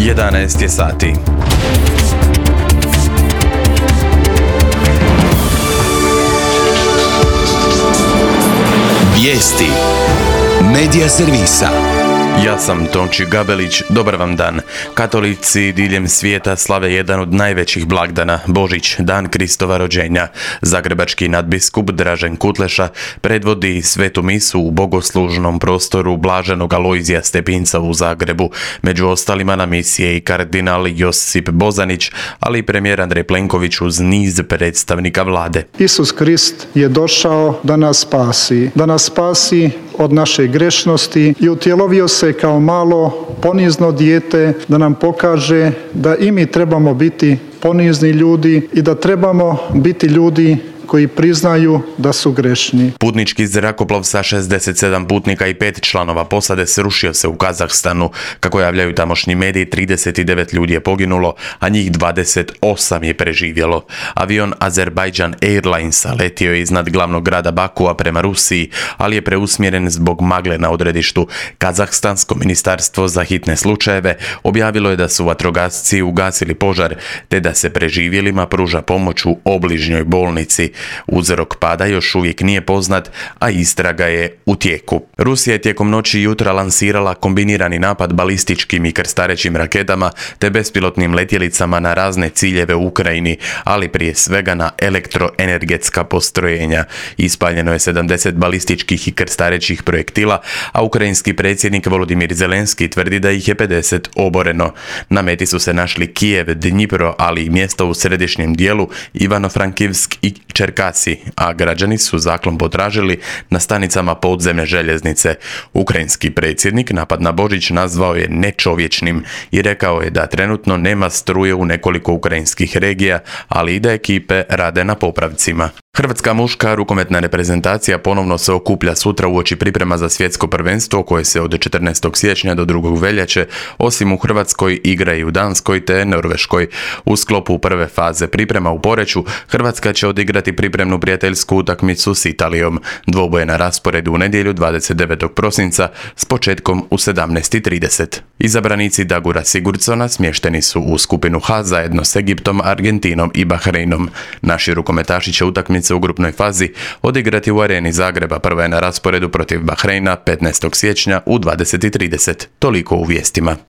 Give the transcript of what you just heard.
11 je sati. Vijesti Medija servisa. Ja sam Tonči Gabelić, dobar vam dan. Katolici diljem svijeta slave jedan od najvećih blagdana, Božić, dan Kristova rođenja. Zagrebački nadbiskup Dražen Kutleša predvodi svetu misu u bogoslužnom prostoru Blaženog Alojzija Stepinca u Zagrebu. Među ostalima na misi je i kardinal Josip Bozanić, ali i premijer Andrej Plenković uz niz predstavnika vlade. Isus Krist je došao da nas spasi od naše grešnosti i utjelovio se kao malo ponizno dijete da nam pokaže da i mi trebamo biti ponizni ljudi i da trebamo biti ljudi koji priznaju da su grešni. Putnički zrakoplov sa 67 putnika i 5 članova posade srušio se u Kazahstanu. Kako javljaju tamošnji mediji, 39 ljudi je poginulo, a njih 28 je preživjelo. Avion Azerbaijan Airlinesa letio je iznad glavnog grada Bakua prema Rusiji, ali je preusmjeren zbog magle na odredištu. Kazahstansko ministarstvo za hitne slučajeve objavilo je da su vatrogasci ugasili požar, te da se preživjelima pruža pomoć u obližnjoj bolnici. Uzrok pada još uvijek nije poznat, a istraga je u tijeku. Rusija je tijekom noći i jutra lansirala kombinirani napad balističkim i krstarećim raketama te bespilotnim letjelicama na razne ciljeve u Ukrajini, ali prije svega na elektroenergetska postrojenja. Ispaljeno je 70 balističkih i krstarećih projektila, a ukrajinski predsjednik Volodimir Zelenski tvrdi da ih je 50 oboreno. Na meti su se našli Kijev, Dnjipro, ali i mjesto u središnjem dijelu Ivano-Frankivsk i Čerkasi, a građani su zaklon potražili na stanicama podzemne željeznice. Ukrajinski predsjednik napad na Božić nazvao je nečovječnim i rekao je da trenutno nema struje u nekoliko ukrajinskih regija, ali i da ekipe rade na popravcima. Hrvatska muška rukometna reprezentacija ponovno se okuplja sutra uoči priprema za svjetsko prvenstvo koje se od 14. siječnja do 2. veljače osim u Hrvatskoj igra i u Danskoj te Norveškoj. U sklopu prve faze priprema u Poreču Hrvatska će odigrati pripremnu prijateljsku utakmicu s Italijom. Dvoboj je na rasporedu u nedjelju 29. prosinca s početkom u 17:30. Izabranici Dagura Sigurdsona smješteni su u skupinu H zajedno s Egiptom, Argentinom i Bahreinom. Naši rukometaši će utakmice u grupnoj fazi odigrati u areni Zagreba. Prva je na rasporedu protiv Bahreina 15. siječnja u 20:30. Toliko u vijestima.